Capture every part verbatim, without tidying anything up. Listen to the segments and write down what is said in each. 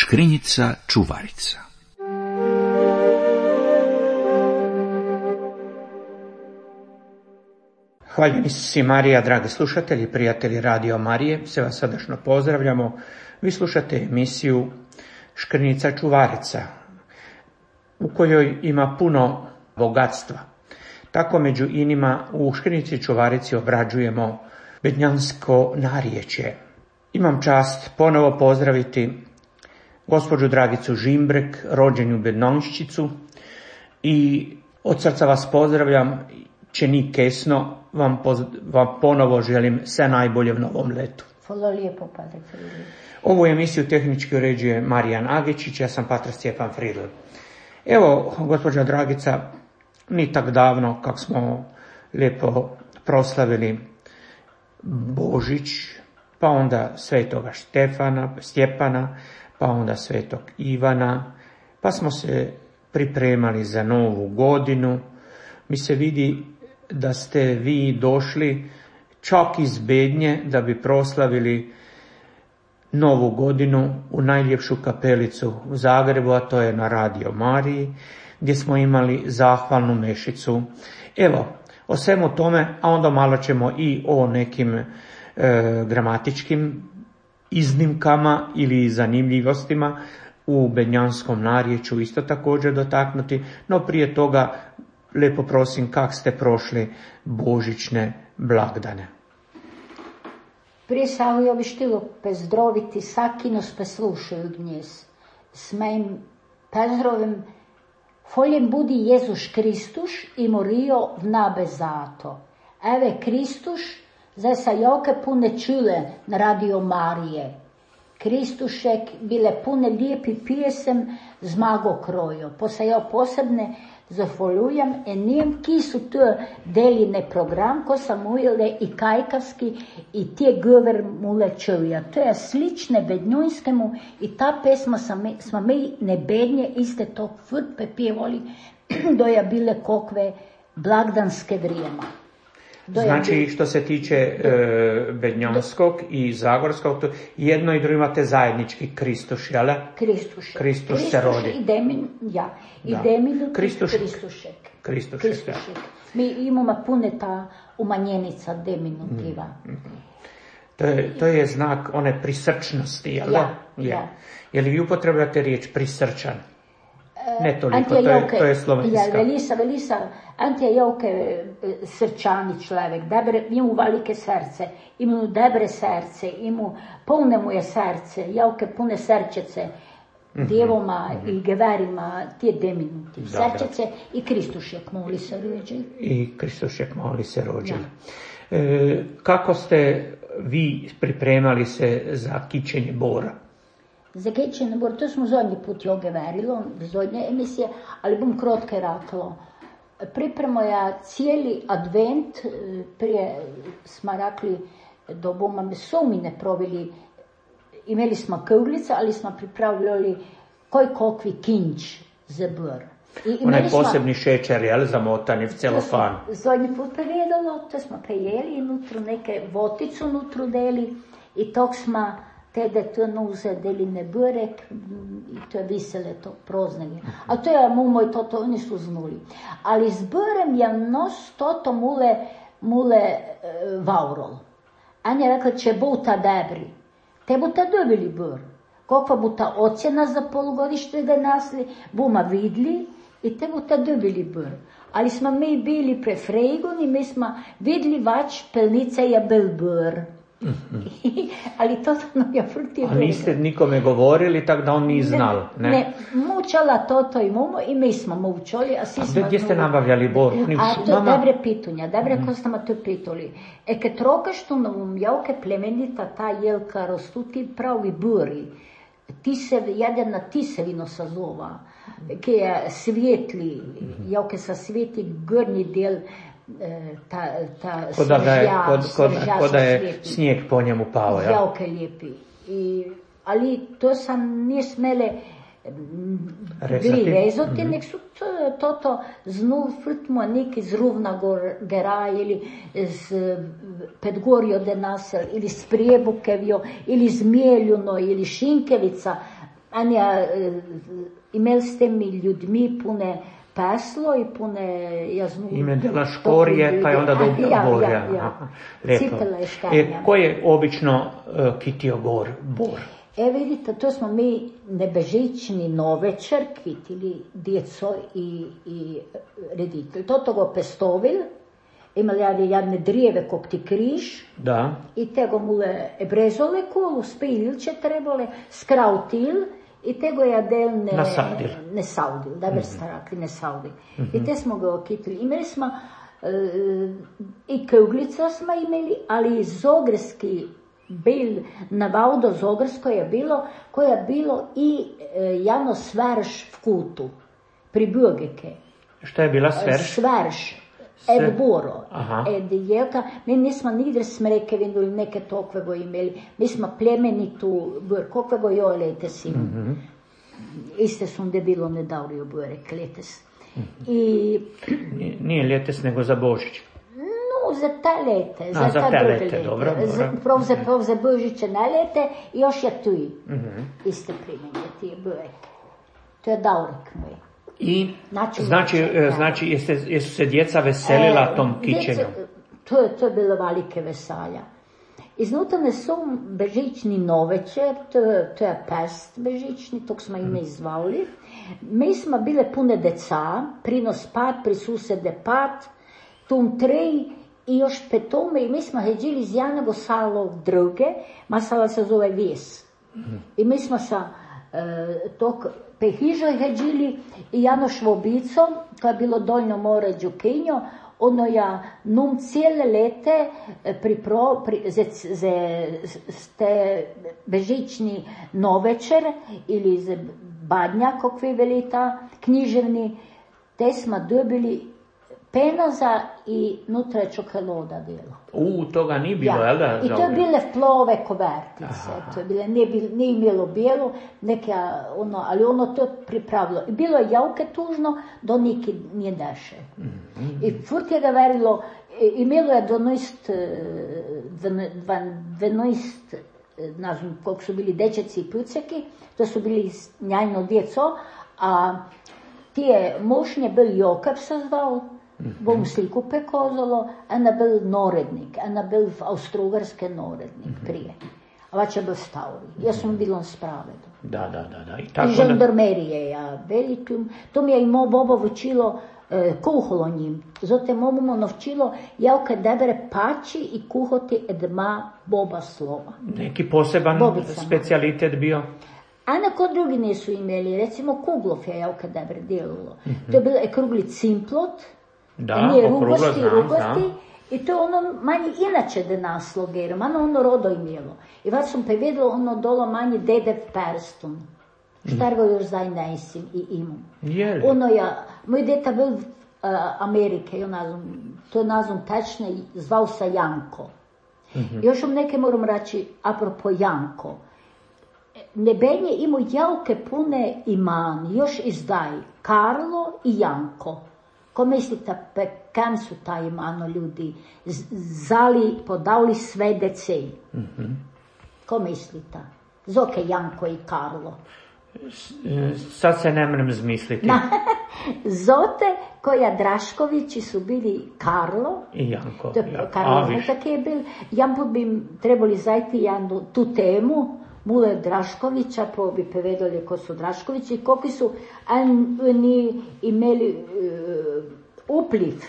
Škrinjica čuvarica. Hvaljeni si Marija, dragi slušatelji, prijatelji Radio Marije, sve vas srdačno pozdravljamo. Vi slušate emisiju Škrinjica čuvarica, u kojoj ima puno bogatstva. Tako među inima u Škrinjici čuvarici obrađujemo bednjansko narječje. Imam čast ponovo pozdraviti gospođu Dragicu Žimbrek, rođenju Bednonščicu, i od srca vas pozdravljam, čini kesno, vam, poz, vam ponovo želim sve najbolje u novom letu. Hvala lijepo, Padre Fridl. Ovu emisiju tehnički uređuje Marijan Agičić, ja sam Pater Stjepan Fridl. Evo, gospođa Dragica, ni tak davno kak smo lijepo proslavili Božić, pa onda svetoga Štefana, Stjepana, pa onda svetog Ivana, pa smo se pripremali za novu godinu. Mi se vidi da ste vi došli čak iz Bednje da bi proslavili novu godinu u najljepšu kapelicu u Zagrebu, a to je na Radio Mariji, gdje smo imali zahvalnu mešicu. Evo, o svemu tome, a onda malo ćemo i o nekim e, gramatičkim iznimkama ili zanimljivostima u bednjanskom narječju isto također dotaknuti, no prije toga lijepo prosim, kak ste prošli božićne blagdane. Prije svega bih htjela pozdraviti svaki nas poslušaju dnes. S mojim pozdravim Hvaljen budi Jezus Kristus i morio v nabe zato. Eve Kristus, zdaj sa joke pune čule na Radio Marije. Kristušek bile pune lijepi pjesem z mago krojo. Posajal posebne zahvaljujem enijem, ki su tu deline program, ko sam ujele i kajkavski i tije gover mule čuja. To je slične bednjujskemu i ta pesma smo mi ne bednje iste to fut pepjevali do je bile kokve blagdanske vrijema. Znači, što se tiče e, bednjanskog i zagorskog, to jedno i drugo imate zajednički Kristuš, jel? Kristušek. Kristuš se rodi. I Demin, ja. I Demin, Kristušek. Kristušek. Kristušek, Kristušek. Mi imamo pune ta umanjenica diminutiva. Mm-hmm. To je, to je znak one prisrčnosti, jel? Ja, ja. ja. Je li vi upotrebljate riječ prisrčan? Ne toliko, Antija to je, Joke, to je slovenska. Ja, velisa, velisa, Antija Joke srčani človek, dobre, ima velike srce, ima dobre srce, ima polne mu je srce, Joke pune srčece, mm-hmm. djevoma mm-hmm. i geverima, tije deminuti, srčece i Kristušek moli se rođe. I Kristušek moli se rođe. Ja. E, kako ste vi pripremali se za kićenje bora? Za kićenje bora, to smo zadnji put joge verilo, zadnje emisije, ali bom krotke raklo. Pripremo ja cijeli advent, prije smo rekli da bomo sumine proveli, imeli smo kuglice, ali smo pripravljali koji kokvi kinč za bor. Onaj posebni šećer, jel, zamotani v celofan. Zadnji put prevedalo, to smo prejeli i nutru neke voticu nutru deli i tog smo tede to nuze deline burek i to je visele to proznanje. A to je mu moj toto, oni su znuli. Ali s burem je nos toto mule, mule e, vaurol. Anja je rekla, će buta debri. Te buta dobili bur. Kakva buta ocjena za polugodište da nasli, buma vidli i te buta dobili bur. Ali smo mi bili prefregoni, mi smo vidli vač pelnica je bil bur. Mm-hmm. Ali to no ja frutio. A niste nikome govorili, tako da on nije znal, ne? Ne, mučala toto i mumo i mi smo mučali, a svi a smo... A gdje ste nabavljali bor? A to je dobre pitunja, dobre mm. ko ste to pitali. E kad trokaš tu novom javke plemenita ta jelka rostu ti pravi buri. Tisev, jedna tisevino sa zova, ki je svetli, mm-hmm. javke sa sveti gornji del ta, ta kod da je, kod, kod, kod da je snijeg po njemu pao, ja? Jako lijepi. I, ali to sam nije smele bili rezoti, mm-hmm. nek su to, to, to znul frutmo neki z Ruvna gora ili z Pedgorjo de Nasel ili z Prijebukevjo ili z Mieljuno ili Šinkevica. Anja, imeli ste mi ljudmi pune peslo i pune, ja znam... Ime dela škorije, pa je onda dobio ja, bor. Ja, ja. Cipela je štanja. E, ko je obično uh, kitio gor, bor? E vidite, to smo mi nebežični novečer kvitili djeco i, i reditelj. To togo pestovil, imali jadne, jadne drijeve kog ti križ. Da. I tego mule ebrezole kolu, spililče trebole, skrautil, i tego jadel ne... Nasadil. Ne saudil, da bi ste rekli, ne saudil. Mm-hmm. I te smo ga okitili. Imali smo, uh, i kuglica smo imeli, ali i zogrski bil, na Vaudo Zogrsko je bilo, koje je bilo i e, javno sverš v kutu, pri Bugeke. Šta je bila sverš? Sverš, ed boro, Aha. ed jelka. Mi nismo nigdje smrekevinu ili neke tokvego imeli. Mi smo plemenitu, kokvego jolete si. Mm-hmm. Iste su onda bilo ne davrio burek, letes. Mm-hmm. I... Nije ljetes, nego za Božić. No, za te lete, za, A, za ta te druge lete, lete. dobro, dobro. Prav za, prav za Božiće ne lete, još je tu Mm-hmm. iste primenje, ti je burek. To je daurek moj. I, Znači, znači, znači, znači jeste, jesu se djeca veselila e, tom kićenju? Djeca, to, je, to je bilo velike veselja. Iznutra ne su bežični novečer, to, to je pest bežični, tog smo ime izvali. Mi smo bile pune deca, prinos pat, pri susede pat, tum trej i još petome, i mi smo heđili iz jednog sala druge, ma sala se zove Vijes. I mi smo sa e, tog pehižoj heđili i jedno švobicom, koja je bilo doljno more Đukinjo, ono ja num cijele lete pripro, pri, ze, ze, ste bežični novečer ili ze badnja, kakvi velita, književni, te smo dobili penaza i nutra je čokolada bilo. U, toga nije bilo, ja. jel da? I to je bile plove kovertice, aha. To je bile, nije, bil, nije imelo bijelo, neka, ono, ali ono to pripravilo. I bilo je javke tužno, do niki nije deše. Mm-hmm. I furt je ga verilo, imelo je dvanaest, dvanaest, ne znam koliko su bili dečeci i puceki, to su bili njajno djeco, a tije mošnje bil Jokab se zvao, bom sliku pekozalo, ena bil norednik, ena bil austrougarske norednik prije. A vače bil stavri. Jaz sam bilo spravedo. Da, da, da. da. I, tako I žandarmerije, ja, velikim. To mi je i mo bobo vučilo e, kuholo njim. Zote momu navčilo javke debere pači i kuhoti edma boba slova. Neki poseban Bobicama. Specijalitet bio? A neko drugi nisu imeli, recimo kuglov je javka debre djelulo. Mm-hmm. To je bilo krugli cimplot, da, nije okruglo, rugosti, znam, rugosti, znam. I to je ono manje inače da naslogerom, ano ono rodo imelo. I već sam prevedela ono dolo manje dedev perston. Štar ga još zaj nesim i imam. Jeli? Ono ja, moj deta bil uh, Amerike, jo nazvam, to je nazvam tečne, zvao se Janko. Mm-hmm. Još vam neke moram reći, apropo Janko. Nebenje imao javke pune iman, još izdaj, Karlo i Janko. Ko mislite, pe kam su ta imano ljudi zali, podali sve decej? Mm-hmm. Ko mislite? Zoke Janko i Karlo. Sad se ne mrem zmisliti. Na, zote koja Draškovići su bili Karlo i Janko. To, ja. Karlo tak je bil. Janko bi trebali zajti jednu, tu temu, Mule Draškovića, pa bi povedali ko su Draškovići i koliko su oni imeli uh, upliv,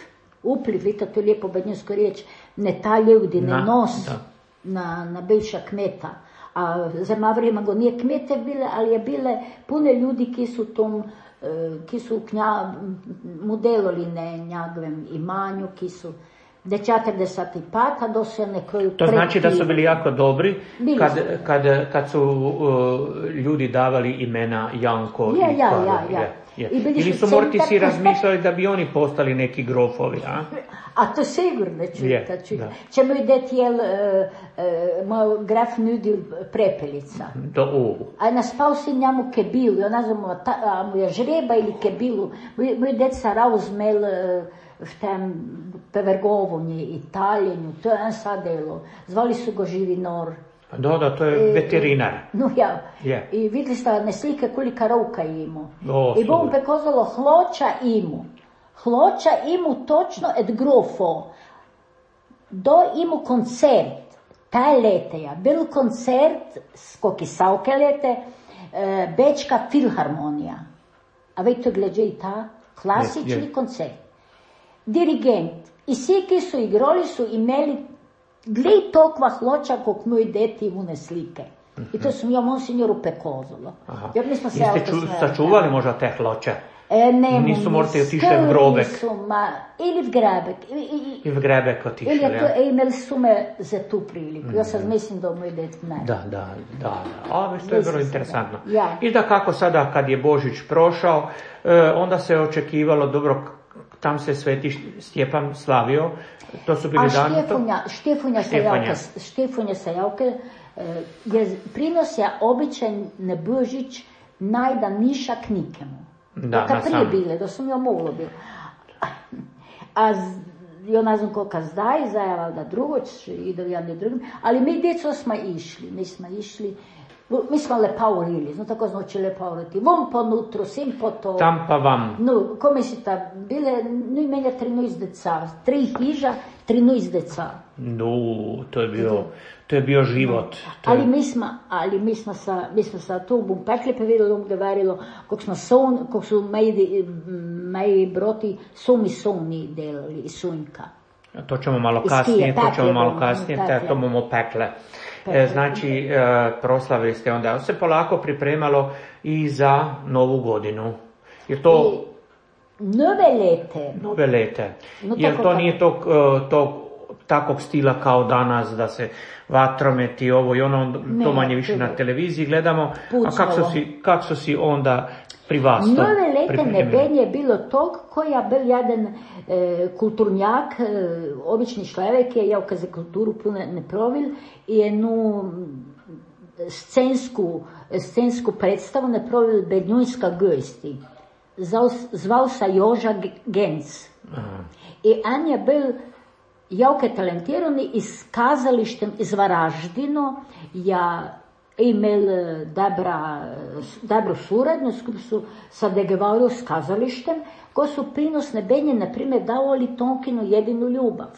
upliv, vidite, to je lijepo bednjsko riječ, ne ta ljudi, ne na, nos da. na, na bivša kmeta. A za Mavrima go nije kmete bile, ali je bile pune ljudi ki su tom, ki su knja, mu delali ne njagovem imanju, ki su de četrdeset pet, a do se nekoj... To znači da su bili jako dobri kad, kad, kad su uh, ljudi davali imena Janko ja, i ja, Karlo. Ja, ja. Ja. Ili su morti si razmišljali da bi oni postali neki grofovi, a? A to sigurno čujete, yeah, čujete. Ćemo ideti, jel, uh, uh, moj graf nudil prepelica. Do u. A naspal si njemu kebilu, ja nazvamo, a mu je žreba ili kebilu. Moj, moj deca rauzmel uh, v tem pevergovonji, Italjenju, to je en sadelo. Zvali su go Živinor. Da, da, to je veterinar. No ja, Je. i videli ste ne slike kolika ruka imu. O, I bom super. prekozalo hloča imu. Hloča imu točno et grofo. Do imu koncert. Taj leteja. Bil koncert, skoki savke lete, e, Bečka filharmonija. A vejte gleđe i ta klasični Je, je. koncert. Dirigent. I svi ki su igrali su imeli glej tokva hloča kog moj deti imune slike. I to sam ja monsignoru pekozalo. Aha. Jer mi smo se Jeste auto ču, smeli. sačuvali možda te hloče? E, ne, Nisu morate otišli v skrili grobek. Su, ma, ili v grabek. I, i, I v grebek otišli, ili je to, ja? e, imeli su me za tu priliku. Ja sad mislim da moj det ne. Da, da, da. A, već to je Mislim vrlo se, interesantno. da. Ja. I da kako sada kad je Božić prošao, e, onda se očekivalo, dobro, tam se Sveti Stjepan slavio, to su bili A dani... Štefunja, Štefunja sa Štefunja. javke, Štefunja sa javke, e, je prinosja običaj na Božić najda nišak nikemu. Da, Kad na prije sam. bile, da sam ja mogla bilo. A z- ja ne znam koliko zdaj, zdaj je valjda drugoć, ide v jedni drugim, ali mi djeco smo išli, mi smo išli, mi smo lepa urili, no tako smo oči lepa uriti, vom po nutru, sim po to. Tam pa vam. No, ko mislite, bile, no i menja trinaest deca, tri hiža, trinaest deca. No, to je bio, to je bio život. To Ali je, mi smo, ali mi smo sa, mi smo sa tu bom pekli pa videli, gdje varilo, kog smo son, kog su moji, moji broti, su mi soni delali, i sunjka. to ćemo malo Iz kasnije, Kije, to ćemo pekle malo bomo, kasnije, te, pekle. to bomo pekle. Pekle. E, znači, e, proslavili ste onda, se polako pripremalo i za Novu godinu. Je to I nove lete, nove lete? No, Jer tako, to tako. nije tog, e, tog takvog stila kao danas, da se vatrometi ovo i ono, Ne, to manje više to na je televiziji gledamo. pucnjavo. A kako su si, kak su si onda pri vas to nove lete pripremili? nebenje je bilo tog koja bil jedan e, kulturnjak, e, obični človek je, ja za kulturu puno ne provil, i jednu scensku, scensku predstavu ne provil Bednjunska gosti. Zval, zval sa Joža G- Genc. Aha. I on je bil jako talentirani iz kazalištem iz Varaždino, ja imel eh, dobra, dobro suradnju, skup su sa dogovorili s kazalištem, ko su prinosne benje, na primjer, davali Tonkinu jedinu ljubav.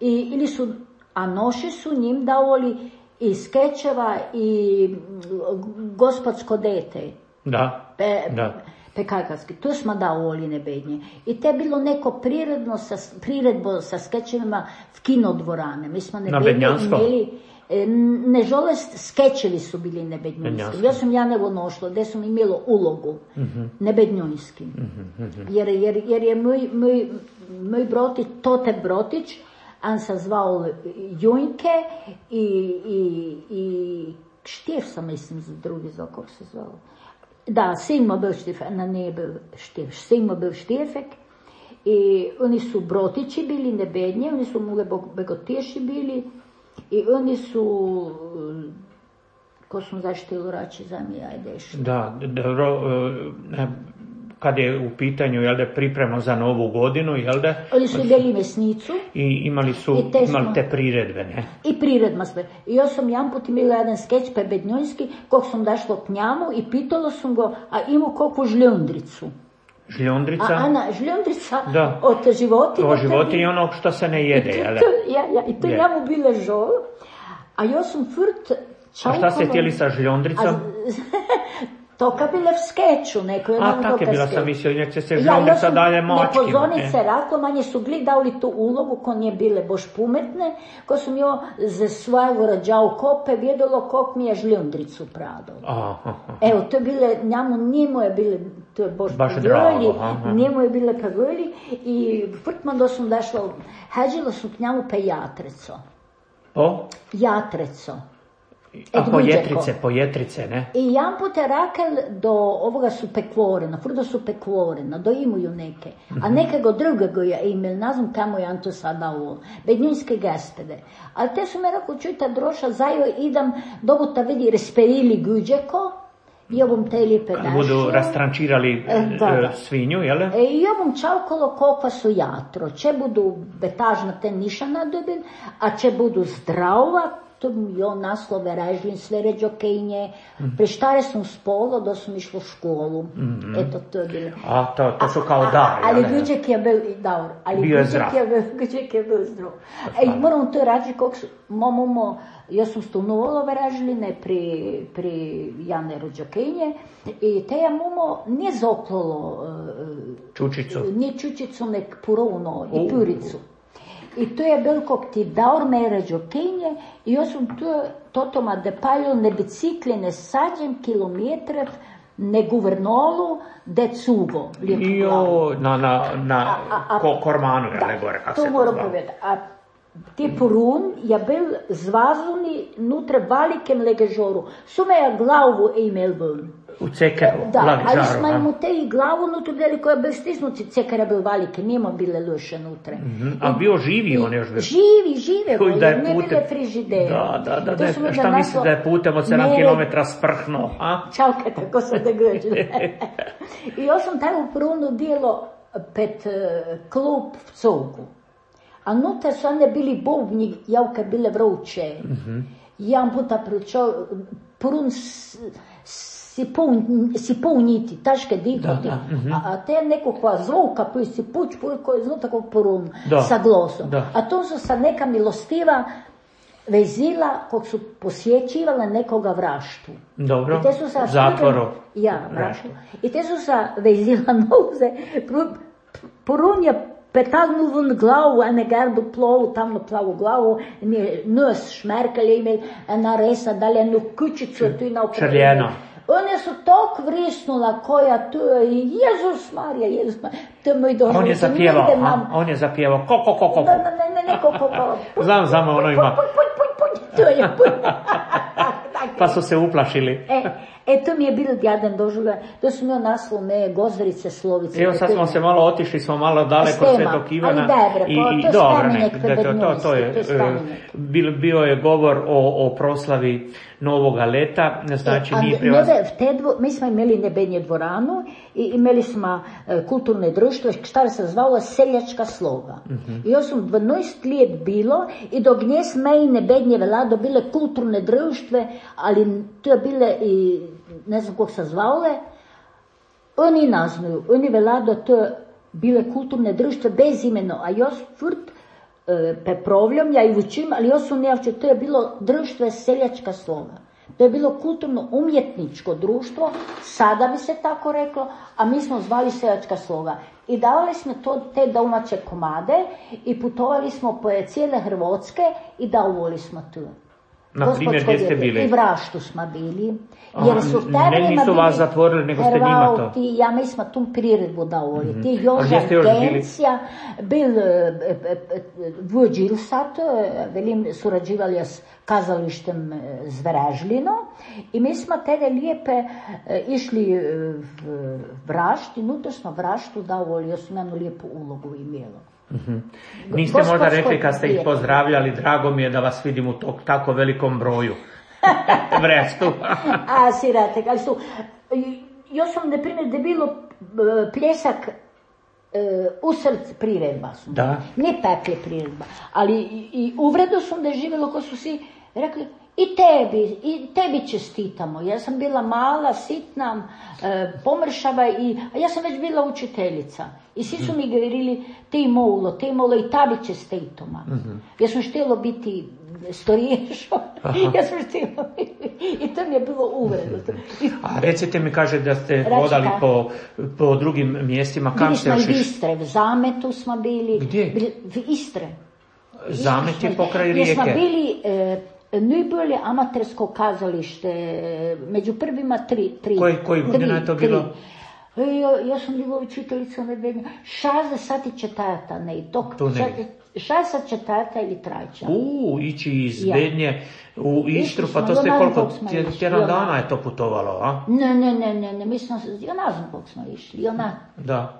I, ili su, a noši su njim davali i skečeva i mm, gospodsko dete. Da, Pe, da. Pekajkarski, tu smo davali nebednje. I to je bilo neko priredno sa, priredbo sa skečevima v kinodvorane. Mi smo nebednje Bednjanskom? imeli, e, nežalost, skečevi su bili nebednjunski. Bednjanskom. Ja sam Janevo nošla, gdje sam imela ulogu Mhm. nebednjunski. Jer, jer, jer je moj, moj, moj broti, Tote Brotić, on se zvao Junjke i, i, i Štir sam, mislim, za drugi zvao, kako se zvao. Da, Simo bil Štirfek, na ne bil Štirfek, Simo bil Štirfek i oni su Brotići bili nebednje, oni su mule Begotiješi bili i oni su, ko smo zaštili rači za mi, ajde još. Da, dobro, e, kad je u pitanju, jel da, pripremno za Novu godinu, jel da, Oni su bili mesnicu i imali su, I te smo- imali te priredbe, ne? i priredma sve. I ja sam jedan put imala jedan skeč pa bednjojski, kog sam dašla k njemu i pitala sam go, a imao kakvu žljondricu. Žljondrica, A Ana, žljondrica Da. od životinja. o životinji onog što se ne jede, jel da? Ja, ja, i to Je. njemu bile žol, a ja sam furt A čaukala. šta ste htjeli sa žljondricom? A, to kad bile v skeču, neko je A, nam tak je to bila, skeč. sam mislio, nek će se Ja, ja žljondrica sam dalje mački. nepozornice rakla, manje su gli dali tu ulogu, ko nije bile boš pumetne, ko sam jo za svojego rađao kope, vjedalo kog mi je žljondricu pradao. Aha, Evo, to je bile, njemu njemu je bile, to je boš Baš pavoli, drago, aha. njemu je bile pavoli i vrtman da sam dašla, hađila sam k njemu pe jatreco. o? Jatreco. A Ed pojetrice, Guđeko. pojetrice, ne? I jedan put je rakel do ovoga su pekvorena, frudo su pekvorena, do imuju neke. A nekego drugego je imel, ne znam kamo je on to sada ovo, bednjunske gaspede. Ali te su me rekao, čujte droša, zajo idem, dobu ta vidi resperili Guđeko, i ovom te lijepe Kad dašio. budu rastrančirali E, da, e, da. svinju, jel? E, I ovom čaukalo kokva su jatro, če budu betažna te niša nadobin, a če budu zdrava, to mi jo naslove režim, sve ređokenje. Mm-hmm. Preštare sam spolo da sam išla u školu. Mm-hmm. Eto, to je bilo. A, to, to su kao dar, ali Guđek je bil, dobro, ali bio je zdrav. Guđek je bil zdrav. E, moram to reći, kako su, momo, jaz sem stanovalo v Režline pri, pri Jane Rođokenje i te je momo nije zoplalo čučicu, nije čučicu, nek purovno i puricu. I to je bil kog ti daur me Rođokenje i jaz sem to, totoma depaljo ne bicikli, ne sađem kilometrev, ne guvernolu, de cugo. Jo, na, na, na a, a, ko, kormanu, je le gore, kako se to moram povedati. A ti porun je bil zvazuni nutre velikem legežoru. Sume je glavu imel bil. U cekeru, da, ali smo imamo te i glavu nutre bili koja je bil stisnuci, ceker je bil velike, nima bile luše nutre. Mm-hmm. A bio živi on još bil? Živi, žive go, jer ne bile frižidere. Da, da, da, da, šta da misli da je putem od sedam kilometara sprhno, a? Čalke, tako sam da gleđu. I još sam taj u porunu bilo pet uh, klub v Cogu. A nutra su one bili bubnji, javke bile vruće. Mm-hmm. Jedan puta pričao, porun si pun, si puniti, taške dihoti. Mm-hmm. A, a te nekakva zvuka, koji si puć, koji je zvuka takvog porun, da, sa glosom. Da. A to su sa neka milostiva vezila, kog su posjećivala nekoga vraštu. Dobro, zatvoru. Ja, vraštu. I te su sa vezila noze, porun je petagnu vun glavu, ene gardu plovu, tamno plavu glavu, nos šmerkelje imel, ena resa, dalje enu kućicu, tu i na okrenu. Črljeno. One su tok vrisnula koja tu je, Jezus Marija, Jezus Marija, to je moj došlo. On je zapjevao, a? On je zapjevao, ko, ko, ko, ko. Ne, ne, ne, ne, ko, ko, ko. Znam, znam, ono ima. Puj, puj, puj, puj, to je puj. Pa su se uplašili. E, e to mi je bilo jedan doživljaj, to su mi on naslov me Gozverice Slovice. Evo sad smo se malo otišli, smo malo daleko od Svetog Ivana. Ali dobro, i, po, i, to dobro, spomenik ne, to, to, to je, bio, bio je govor o, o proslavi Novoga leta, znači e, nije privaz... Dvo, mi smo imeli Nebenje dvoranu i imeli smo e, kulturne društvo, šta se zvalo Seljačka sloga. Mm-hmm. I još sam dvanaest let bilo i dok nje sme i Nebenje velado bile kulturne društve, ali to je bile i ne znam kog se zvale, oni naznaju, oni velado to bile kulturne društve bez imeno, a još furt e, peprovljom, ja i vučim, ali još su nejavče, to je bilo društvo Seljačka sloga. To je bilo kulturno-umjetničko društvo, sada bi se tako reklo, a mi smo zvali Seljačka sloga. I davali smo to, te domaće komade i putovali smo po cijele Hrvatske i davali smo tu. Na primjer, gdje ste bili? I Vraštu smo bili. Jer su ne, nisu vas zatvorili, nego ste njima to. Ti, ja mi smo tu priredbu davali. Mm-hmm. Ti Joža Gencija, bil Vujđilsat, velim, surađivali s kazalištem Zverežlino i mi smo tada lijepe išli v Vrašt i nutra smo Vraštu davali, ja sam jednu lijepu ulogu imela. Mm-hmm. Niste Gospodsko možda rekli kad ste ih pozdravljali, drago mi je da vas vidim u to, tako velikom broju. Vrestu. A, siratek, ali su, još sam, na primjer, da je bilo pljesak uh, u src priredba su. Da. Ne peklje priredba, ali i, i uvredo sam da je živjelo ko su si rekli, i tebi, i tebi čestitamo. Ja sam bila mala, sitna, e, pomršava, i, a ja sam već bila učiteljica. I svi su mi govorili, ti moulo, ti moulo, i tebi čestitamo. Mm-hmm. Ja sam štjela biti storiješo. Ja sam štjela i to mi je bilo uvredno. A recite mi, kaže da ste hodali po, po drugim mjestima. Kam ste još išli? Bili smo u Istre, v Zametu smo bili. Gdje? V Istre. Zamet je pokraj rijeke. Gdje smo bili... E, najbolje amatersko kazalište, među prvima tri. tri koji koji godina je to bilo? Ja, ja sam bila učiteljica Medvednja. šezdeset četvrta, ne, tok, šezdeset četvrta ili treća. U, ići iz ja. Bednje u Istru, pa to ste koliko, tjedan dana je to putovalo, a? Ne, ne, ne, ne, ne, mi smo, ja ne znam koliko smo išli, ona. Da.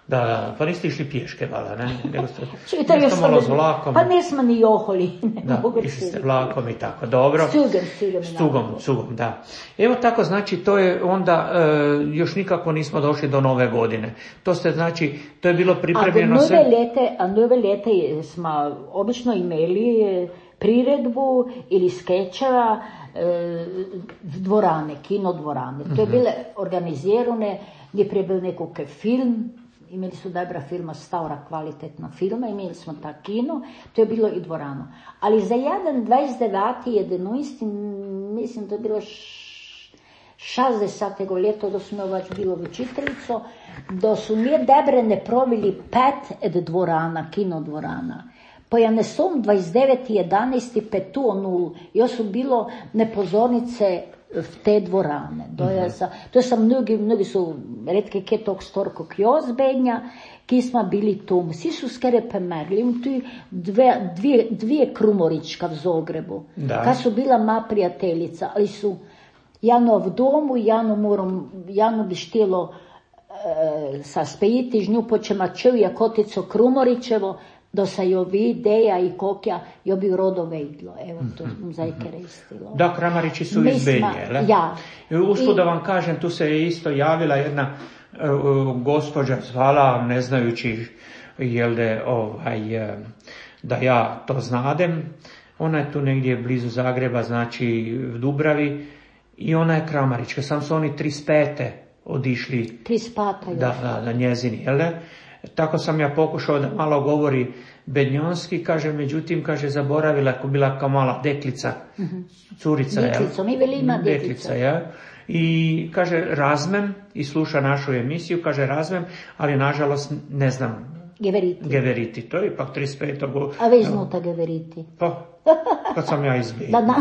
Da, da, pa niste išli pješke, vala, ne? Nego ste nešto malo s vlakom. Pa nismo ni joholi. Da, išli ste vlakom i tako, dobro. Stugom, stugom. Stugom, stugom, da. Evo tako, znači, to je onda, e, još nikako nismo došli do nove godine. To ste, znači, to je bilo pripremljeno sve. A nove lete, a nove lete smo obično imeli priredbu ili skečeva e, dvorane, kino dvorane. To je bile organizirane, gdje prije bil nekakve film, imeli su dobra filma, stavra kvalitetna filma, imeli smo ta kino, to je bilo i dvorano. Ali za jedan dvajset deveti jedenajsti, mislim, to je bilo šestdesetega leta, da smo več bilo v učiteljico, da su mi dobre ne provili pet ed dvorana, kino dvorana. Pa ja ne som dvajset deveti jedanajsti pet nul, jo su bilo nepozornice v te dvorane. To je sa, to je sa mnogi, mnogi su redke kje tog storko kjozbenja, ki smo bili tu. Vsi su skere pomegli. Imam tu dve, dvije, dvije krumorička v Zogrebu, ka su bila ma prijateljica, ali su Jano v domu, Jano moram, Jano bi štilo e, sa spejiti žnju počemačev Jakotico Krumoričevo, da se jo videja i kokja, jo bi rodo vejdlo. Evo, to sam zdaj koristilo. Da, Kramarići su iz Belje, le? Ja. Usput I... da vam kažem, tu se je isto javila jedna uh, gospođa zvala, ne znajući jel de, ovaj, uh, da ja to znadem. Ona je tu negdje blizu Zagreba, znači v Dubravi, i ona je Kramarićka. Sam su oni trideset pete odišli trideset peta da, da, da njezini, jel de? Tako sam ja pokušao da malo govori bednjonski, kaže, međutim, kaže, zaboravila, ako bila kao mala deklica, mm-hmm. curica, deklica, mi veli ima deklica. deklica ja. I kaže, razmem, i sluša našu emisiju, kaže, razmem, ali nažalost ne znam Geveriti. Geveriti, to je ipak trideset pet. A već znuta Geveriti. Pa, kad sam ja izbio. Da, da.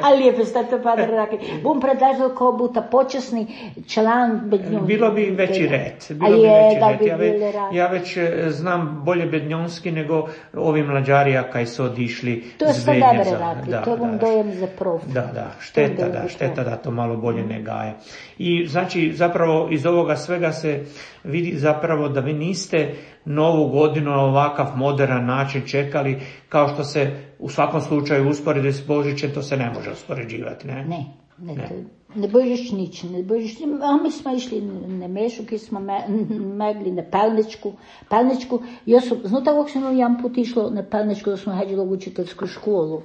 Ali lijepo ste to, padre Raki. Bum predlažio kao buta počasni član bednjonski. Bilo bi veći red. Bilo bi veći red. Ja, ve, ja već znam bolje bednjonski nego ovi mlađarija kaj su odišli to je sve dobre radi. Da, to je vam dojem za prof. Da, da, šteta, da, šteta da to malo bolje ne gaje. I znači zapravo iz ovoga svega se vidi zapravo da vi niste novu godinu na ovakav modern način čekali, kao što se u svakom slučaju usporedi s Božićem, to se ne može uspoređivati, ne? Ne, ne, ne. Ne Božić nič, ne Božić, a mi smo išli na Mešu, ki smo me, megli na Pelničku, Pelničku, jo sam, znate kako sam jedan put išlo na Pelničku, da smo hađili u učiteljsku školu.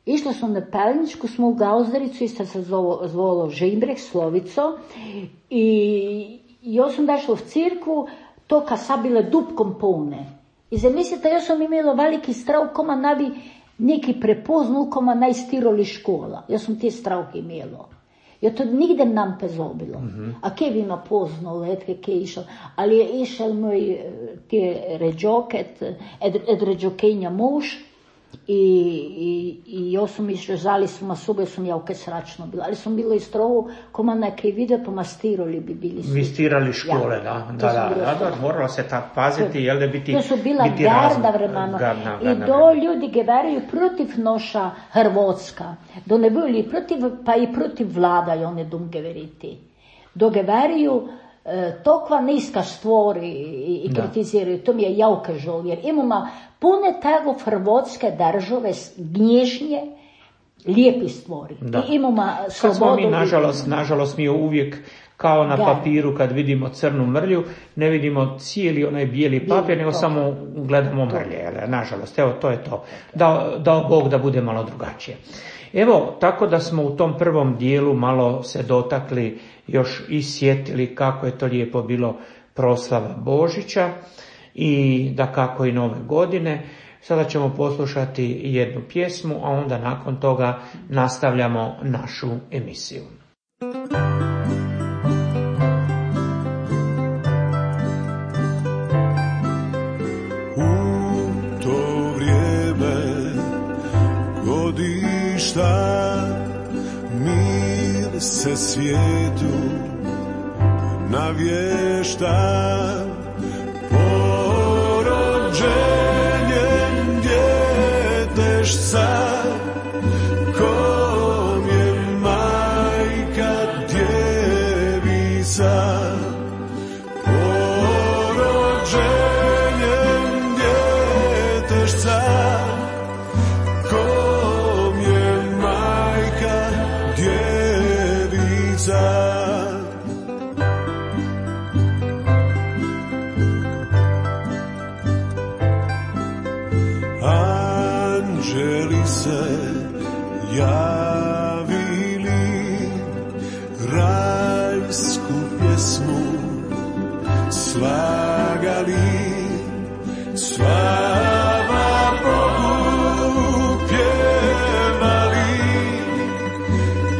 Išlo smo na Pelničku, smo u Gauzdaricu i sad se zvolo, zvolo Žimbrek, Slovico, i jo sam dašla v cirkvu, to ka sa bile dupkom polne. I zamislite, ja sam imela veliki strav, koma nabi neki prepoznal, koma naj stiroli škola. Ja sam te stravke imela. Ja to nigde nam pezobilo. Mm-hmm. A kje bi ima poznalo, etke kje je išel. Ali je išel moj te ređoket, ed, ed ređokenja muž, i, i, i ja sam išla, žali sam, a sube sam ja ukaj sračno bila. Ali sam bila iz trovu, koma neke vide, pa ma stiroli bi bili svi. Vi stirali škole, ja. da. Da, da, da, da, moralo se tako paziti, jel da biti to su bila garda vremena. Garna, I do ljudi geveraju protiv noša Hrvatska. Do ne bili protiv, pa i protiv vlada i one dom geveriti. Do geveraju tokva niska stvori i, i kritiziraju. To mi je jauka žal, jer imamo pune tego hrvatske države, gnježnje, lijepi stvori. Da. I imamo slobodu. Kad smo mi, nažalost, nažalost, mi uvijek kao na papiru kad vidimo crnu mrlju, ne vidimo cijeli onaj bijeli papir, nego to. Samo gledamo mrlje. Nažalost, evo, to je to. Dao, dao Bog da bude malo drugačije. Evo, tako da smo u tom prvom dijelu malo se dotakli, još i sjetili kako je to lijepo bilo proslava Božića i da kako i nove godine. Sada ćemo poslušati jednu pjesmu, a onda nakon toga nastavljamo našu emisiju. U to vrijeme godišta mir se svijetu navješta, porođenjem djetešca, kom je majka djevica. Porođenjem djetešca, kom je majka djevica. javili rajsku pjesmu, slagali, slava Bogu pjevali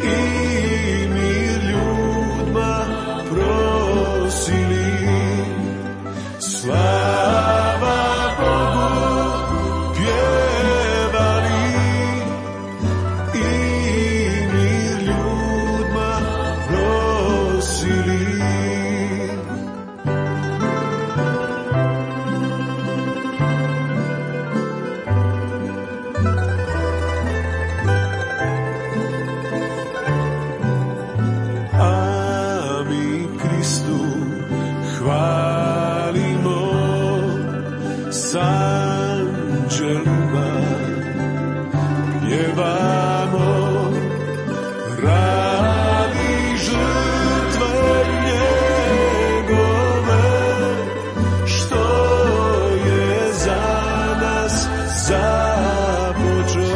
i mir ljudima prosili. Slava Bogu pjevali i mir ljudima prosili. A mi Kristu hvalimo s anđelima, pjevamo radi žrtve njegove, što je za nas započeo.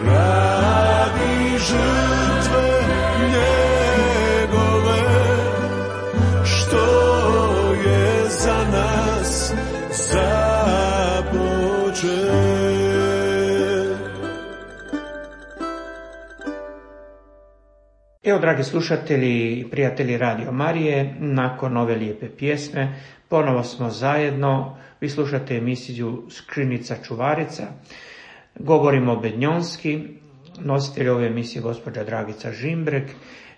Radi žrtve njegove, što je za nas započeo. Evo, dragi slušatelji i prijatelji Radio Marije, nakon ove lijepe pjesme ponovo smo zajedno. Vi slušate emisiju Skrinica čuvarica. Govorimo bednjonski. Nositelj ove emisije gospođa Dragica Žimbrek.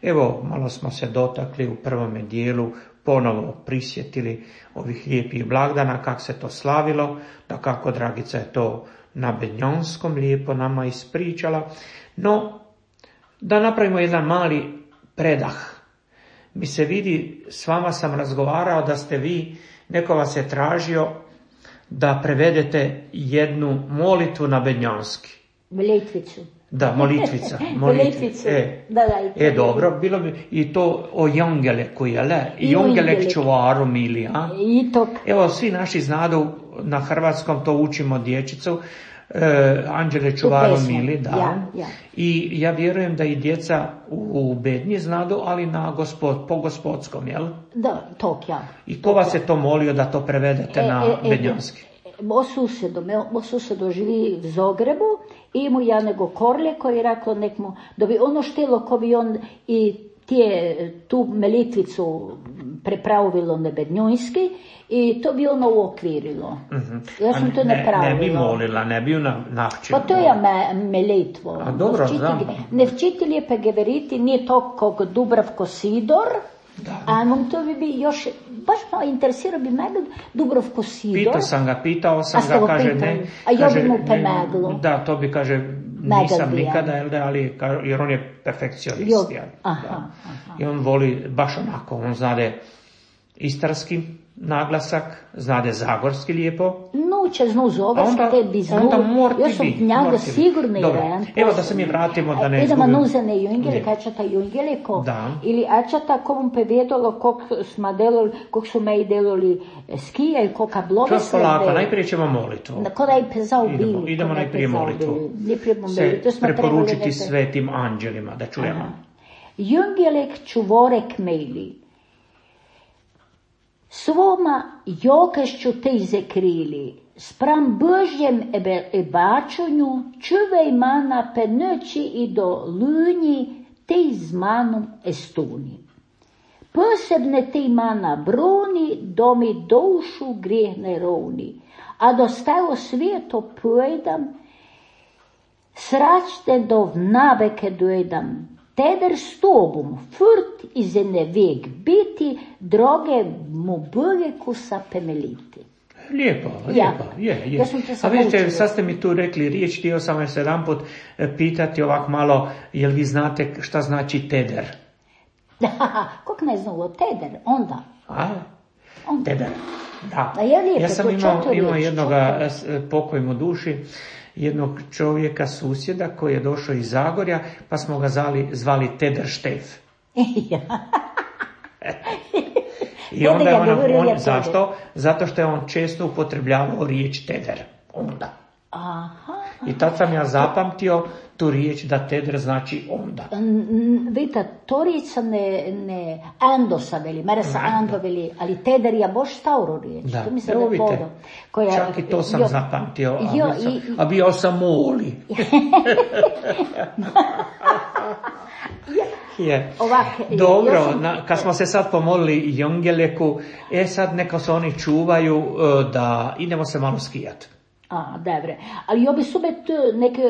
Evo, malo smo se dotakli u prvome dijelu, ponovo prisjetili ovih lijepih blagdana, kako se to slavilo, da kako Dragica je to na bednjonskom lijepo nama ispričala. No, da napravimo jedan mali predah. Mi se vidi, s vama sam razgovarao da ste vi, neko vas je tražio da prevedete jednu molitvu na bednjonski. Molitvicu. Da, molitvica. Molitvicu. E, Da, da, e, dobro, bilo bi i to o Jongeleku, je le? I Jongelek čuvaru mili, a? I to. Evo, svi naši znadu, na hrvatskom to učimo dječicu, e, Anđele čuvaru pesmu. mili, da. Ja, ja. I ja vjerujem da i djeca u, u bednji znadu, ali na gospod, po gospodskom, jel? Da, tok ja. I ko vas je to molio da to prevedete E, na e, e, bednjonski? Moj susjedo, moj susjedo živi v Zagrebu i mu ja nego Korlje koji je rekao nek mu, da bi ono štelo ko bi on i tije, tu melitvicu prepravilo na bednjojski i to bi ono uokvirilo. Mm-hmm. Ja sam A to ne, napravila. ne bi molila, ne bi ju na, navčila. Pa to je me, melitvo. A dobro, znam. Ne včitelj je pegeveriti, nije to kog Dubravko Sidor, Da. a on to bi bi još, baš malo interesirao bi mene Dubravko Sidor. Pitao sam ga, pitao sam A ste ga, ga kaže pitali? ne. A ja kaže, bi mu ne, pomaglo. Da, to bi kaže, nisam bi ja. nikada, jel da, ali, ka- jer on je perfekcionist. Jo, jel, aha, da. aha. I on voli baš onako, on znade istarski naglasak, znade zagorski lijepo. No, če znu A zoveš, onda, te bi znu, onda morti ja sam bi, njega morti bi. sigurno Dobro, jedan. evo da se mi vratimo, da ne Idemo izgubim. nuzene jungele, Ne. kačata jungeliko, Da. ili ačata komu pevedalo, kog smo delali, kog su me i delali skija i koga Čas blogoslovde. polako, najprije ćemo molitvu. Ko da je pezao bili. Idemo, idemo ko da je najprije pezao molitvu. bili. Najprije bomo Se bili, to smo trebali preporučiti neke- svetim anđelima, da čujemo. Aha. Jungelek čuvorek mejli. Svoma jokešću te zakrili, spram Božjem ebačunju, čuvej mana pe noći i do lunji, te z manom estuni. Posebne te mana broni, do mi dušu grijeh ne rovni, a do stajo svijeto pojdam, sračte do vnabeke dojdam, teder s tobom, furt iz ene vek biti, droge mu bojku sa pemeliti. Lijepo, Ja. lijepo, je, je. Ja sam te A sad vidite, naučila. sad ste mi tu rekli riječ, htio sam vas jedan put pitati ovak malo, jel vi znate šta znači teder? Kog ne znalo, teder, onda. A? Onda. Teder, da. A je lijepo, Ja sam to imao, četo imao riječ, jednoga, četo. s- pokoj mu duši, jednog čovjeka, susjeda koji je došao iz Zagorja, pa smo ga zvali, zvali Teder Štef. Ja. I Onda onda je ga on, govorio on ja zašto? Zato što je on često upotrebljavao riječ teder. Onda. Aha. I tad sam ja zapamtio tu riječ da teder znači onda. Vidite, to riječ ne, ne ando sa veli, mere sa ando veli, ali teder je boš stauro riječ. Da, to mi se evo ne podo. Koja, čak i to sam jo, zapamtio, a, jo, bio sam, i, a bio sam moli. Je. Ovak, Dobro, ja sam, na, kad smo se sad pomolili Jongeleku, e sad neka se oni čuvaju da idemo se malo skijat. A, dobre. Ali jo bi subet neke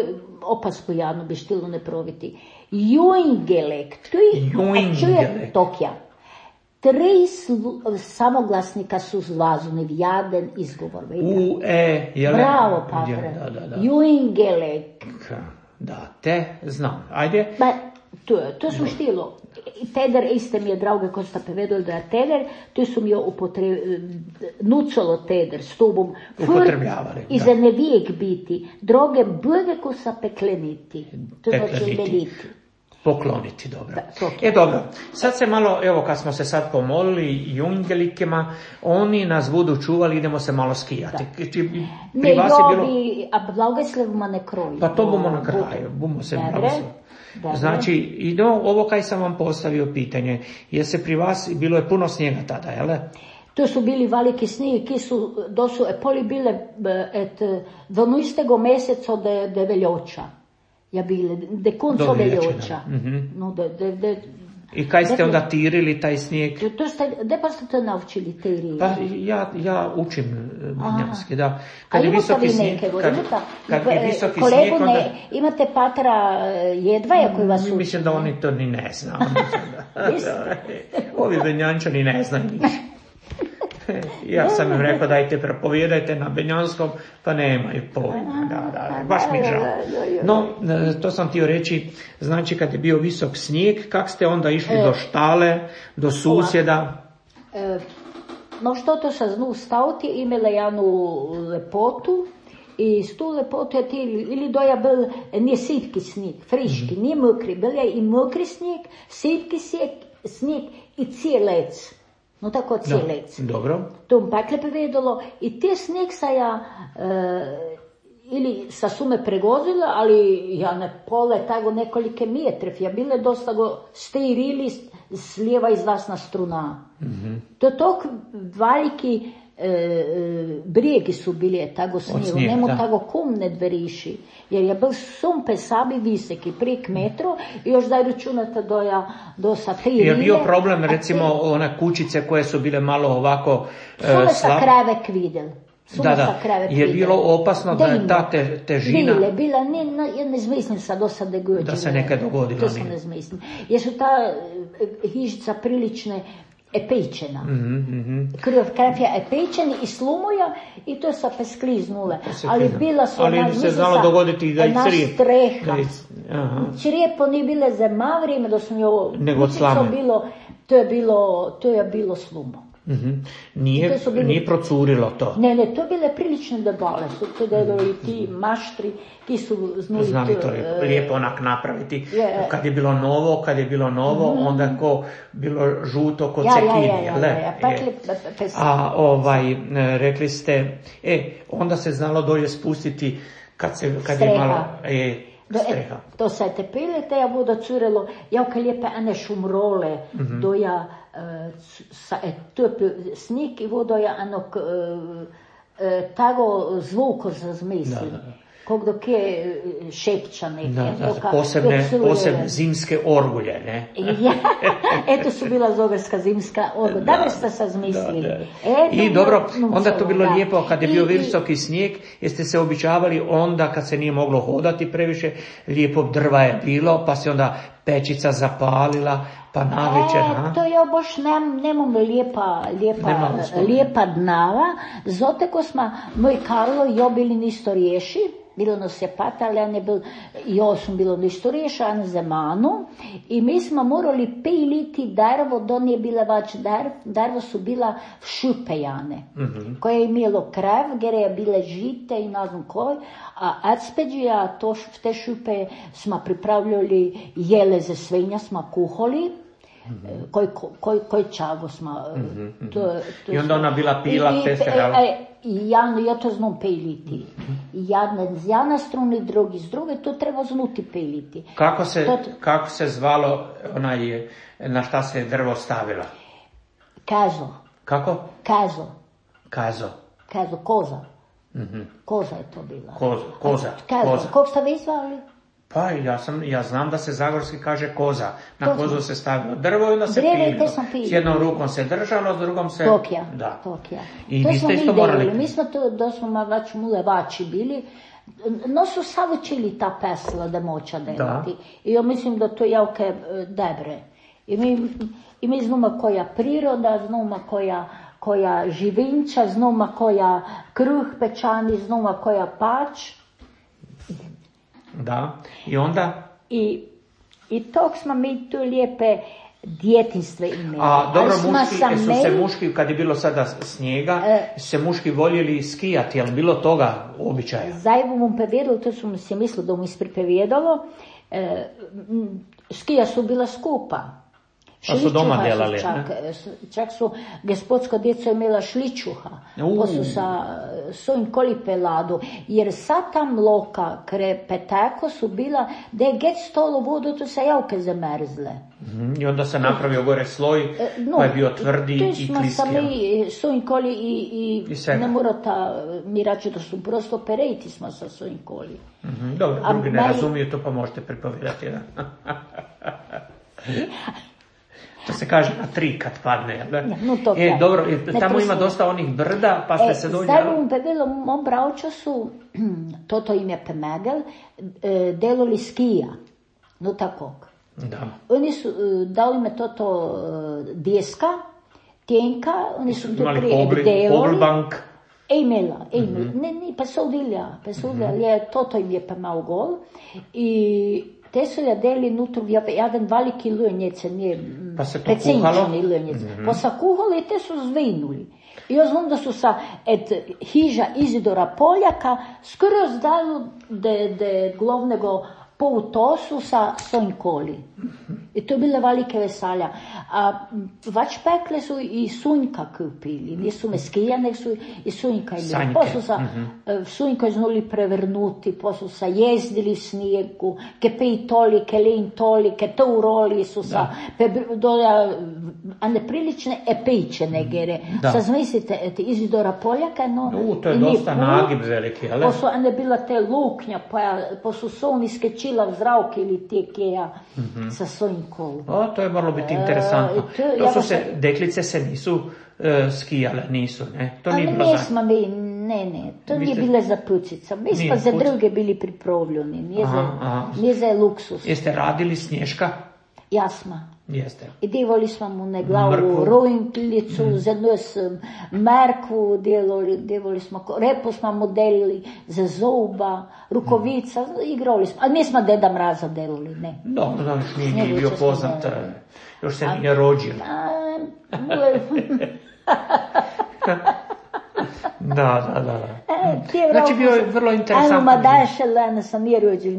opasku jadno bi štilo ne proviti. Jungelek, tu je, čuje Tokija. Tri slu, samoglasnika su zlazuni, jaden izgovor. U, e, jele? Bravo, patre. Da, da, da. Jungelek. Da, te znam. Ajde. Ba, to, to su štilo. Teder, iste mi je drauge ko sta povedali da je teder, to su mi jo upotre, nucolo teder s tobom. Upotrebljavali. I za ne vijek biti. Droge blige ko sa pekleniti. To znači meliti. Pokloniti, dobro. Da, e, dobro. Sad se malo, evo kad smo se sad pomolili Jungelikima, oni nas budu čuvali, idemo se malo skijati. Pri ne, vas jo je bilo... bi, a blagoslevima ne kroji. Pa to bomo na kraju, bomo se blagoslov. Znači, i no, ovo kaj sam vam postavio pitanje, je se pri vas, bilo je puno snijega tada, jel? To su bili veliki snijeg, ki su, do su poli bile et dvanajstega meseca de, de veljoča. Ja bile, de konco veljoča. Mm-hmm. No, de, de, de, I kaj ste onda tirili taj snijeg? To, to ste, de pa ste to naučili tirili? Pa ja, ja učim manjanski, da. Kad je visoki snijeg, kad, kad je visoki kolegu snijeg, onda... Ne, imate patra Jedvaja koji vas uči? Mislim da oni to ni ne znaju. Ovi benjančani ne znaju ništa. Ja sam im rekao dajte propovijedajte na benjanskom, pa nemaju pojma, da, da, baš mi je žao. No, to sam htio reći, znači kad je bio visok snijeg, kak ste onda išli do štale, do susjeda? No što to sa znu staviti, imela jednu lepotu, i s tu lepotu je ti, ili doja bil, nije sitki snijeg, friški, nije mokri, bil je i mokri snijeg, sitki snijeg i cijelec. No tako cijelec. No, dobro. To mi pakle povedalo i te snijeg sa ja e, ili sa sume pregozila, ali ja ne pole tako nekolike metrov, ja bile dosta go stirili s lijeva izlasna struna. Mm-hmm. To tok veliki e, e, brijegi su bili tako snijegu, nemo tako kum ne dveriši, jer je bil sum pe sabi viseki, prek metro i još daj računate do ja, do sa tri rile. Je bio problem recimo te, one kućice koje su bile malo ovako e, sume sa krevek vidjel. Da, da, je bilo opasno da je ta te, težina... Bile, bila, ne, ne, ja ne zmislim sad do sada da Da se nekaj dogodilo. To sam ne zmislim. Jer su ta hižica prilične epečena. Mm-hmm. Krv krafja epečeni i slumuja i to sa peskliznule. Ali bila su... Ali ona, se znalo dogoditi da i crije. Streha. Črijepo nije bile za malo vrijeme da sam jo... Nego od slame. Bilo, to je bilo, to je bilo slumo. Mm-hmm. Nije, bili, nije procurilo to. Ne, ne, to bile prilične debale, su to dedali ti maštri, ki su znali, znali to je, lijepo onak napraviti. Je, kad je bilo novo, kad je bilo novo, mm-hmm. onda ko bilo žuto kod ja, cekini. Ja, ja, ja, ja, ja. Pakli, a ovaj, rekli ste, e, onda se znalo dolje spustiti kad, se, kad je malo... E, Do, e, to se te pilite, ja budo curelo, ja kad lijepe ane šumrole, mm-hmm. do ja, e, sa, e, to snik i vodo ja anok, e, e, tago zvuko zazmislim. Da, da. Kog dok je šepča neke. Da, da, toka, posebne, posebne zimske orgulje, ne? Ja, eto su bila zogarska zimska orgulja. Da, da ste se zmislili. Da, da. Eto, I dobro, onda to bilo da. Lijepo, kad je bio I, visoki snijeg, jeste se običavali onda kad se nije moglo hodati previše, lijepo drva je bilo, pa se onda pečica zapalila, pa navečer. E, to je boš nem, nemam lijepa, lijepa, lijepa dnava, zato ko smo, moj Karlo jo bili nisto riješi, bilo nas je pata, ali ja ne bil, jo sam bilo ništo riješan za manu i mi smo morali piliti drvo, do nije bila vač drv, drvo su bila šupejane, mm-hmm. koje je imelo krev, gdje je bile žite i ne znam koj, a adspeđija, to te šupe smo pripravljali jele za svinja, smo kuhali, mm-hmm. koji koj, koj čago smo. Mm-hmm. To, to I onda ona bila pila i, testerala. I, i ja, ja to znam peliti. Jedan z jedna strune, drugi z druge, to treba znuti peliti. Kako se, to, kako se zvalo onaj, na šta se drvo stavila? Kazo. Kako? Kazo. Kazo. Kazo, koza. Mm-hmm. Koza je to bila. Koza, koza. Kazo, koza. kako ste vi zvali? Pa ja, sam, ja znam da se zagorski kaže koza. Na to kozu sam. se stavilo drvo i onda se Dreve, pililo. pililo. S jednom rukom se držalo, s drugom se... Tokija. Da. Tokija. I to vi smo ste isto mi morali... delili. Mi smo to, da smo vač mulevači bili. No su savučili ta pesla da moća delati. I ja mislim da to javke dobre. I mi, i mi znamo koja priroda, znamo koja, koja živinča, znamo koja kruh pečani, znamo koja pač. Da. I onda... I, i tog smo mi tu lijepe djetinjstve imeli. A dobro, muški, su meli, se muški, kad je bilo sada snijega, e, se muški voljeli skijati, jel bilo toga običaja? Zajvo mu povedalo, to su mi se mislilo da mu ispripovedalo, e, skija su bila skupa. Pa su doma delali, čak, ne? Čak su, gospodska djeca imela šličuha, uh. pa su sa svojim koli peladu, jer sad tam loka kre peteko su bila, da je get stolo vodu, to se javke zamrzle. Mm, I onda se napravio gore sloj, no, pa je bio tvrdi i kliski. Tu smo sami svojim koli i, i, I ne morata, mi rače da su prosto perejti smo sa svojim koli. Mm-hmm, dobro, A drugi ne mali... razumiju to, pa možete pripovedati, da. To se kaže na tri kad padne, da? No, to e, dobro, tamo ne ima dosta onih brda, pa ste e, se dođe... Zdaj bom povedala, mom bravču su, toto im je Pemegel, delali skija, no tako. Da. Oni su dali me toto deska, tenka, oni su to prije delali. Poglbank. E imela, e imela, mm-hmm. ne, ne, pa so udilja, pa so udilja, mm-hmm. toto im je Pemao gol i... Te su jadeli nutru, jedan veliki lujnjec, nije pa se to kuhalo? Lujnjec. Mm-hmm. Pa sa kuhali i te su zvinuli. I ja znam da su sa et hiža Izidora Poljaka skoro zdali de, de glavnego poutosu sa svojim koli. I to je bile velike veselja. A vač pekle su i sunjka kupili. Nisu meskija, nek su i sunjka imeli. Pa su sa mm-hmm. sunjka znali prevrnuti, pa su sa jezdili v snijegu, ke pej toli, ke lejn toli, ke to uroli su sa, pe, doja, a neprilične epejčene gere. Sa zamislite, et Izidora Poljaka, no... No, to je dosta nagib veliki, ali? Pa su, a ne bila te luknja, pa, pa su soni skečila v zravke ili te keja mm-hmm. sa svojim kolom. O, to je moralo biti interesantno. E, to, to ja su se, se, deklice se nisu uh, skijale, nisu, ne? To nije bilo za... Smo mi, ne, ne, to nije bile za pucica. Mi smo za druge bili pripravljeni, nije, aha, za, aha. nije za luksus. Jeste radili snješka? Jasno. Jeste. I devali smo mu na glavu rojnkljicu, mm. za nos merkvu, delali, devali smo, repo smo mu delili za zoba, rukovica, mm. igrali smo. Ali nismo Deda Mraza delali, ne. No, no, nije, nije bio poznat, delali. Još se nije rođio. Da, da, da. E, znači bio je vrlo interesantno. Ajmo, ma daše lene sam nije rođen,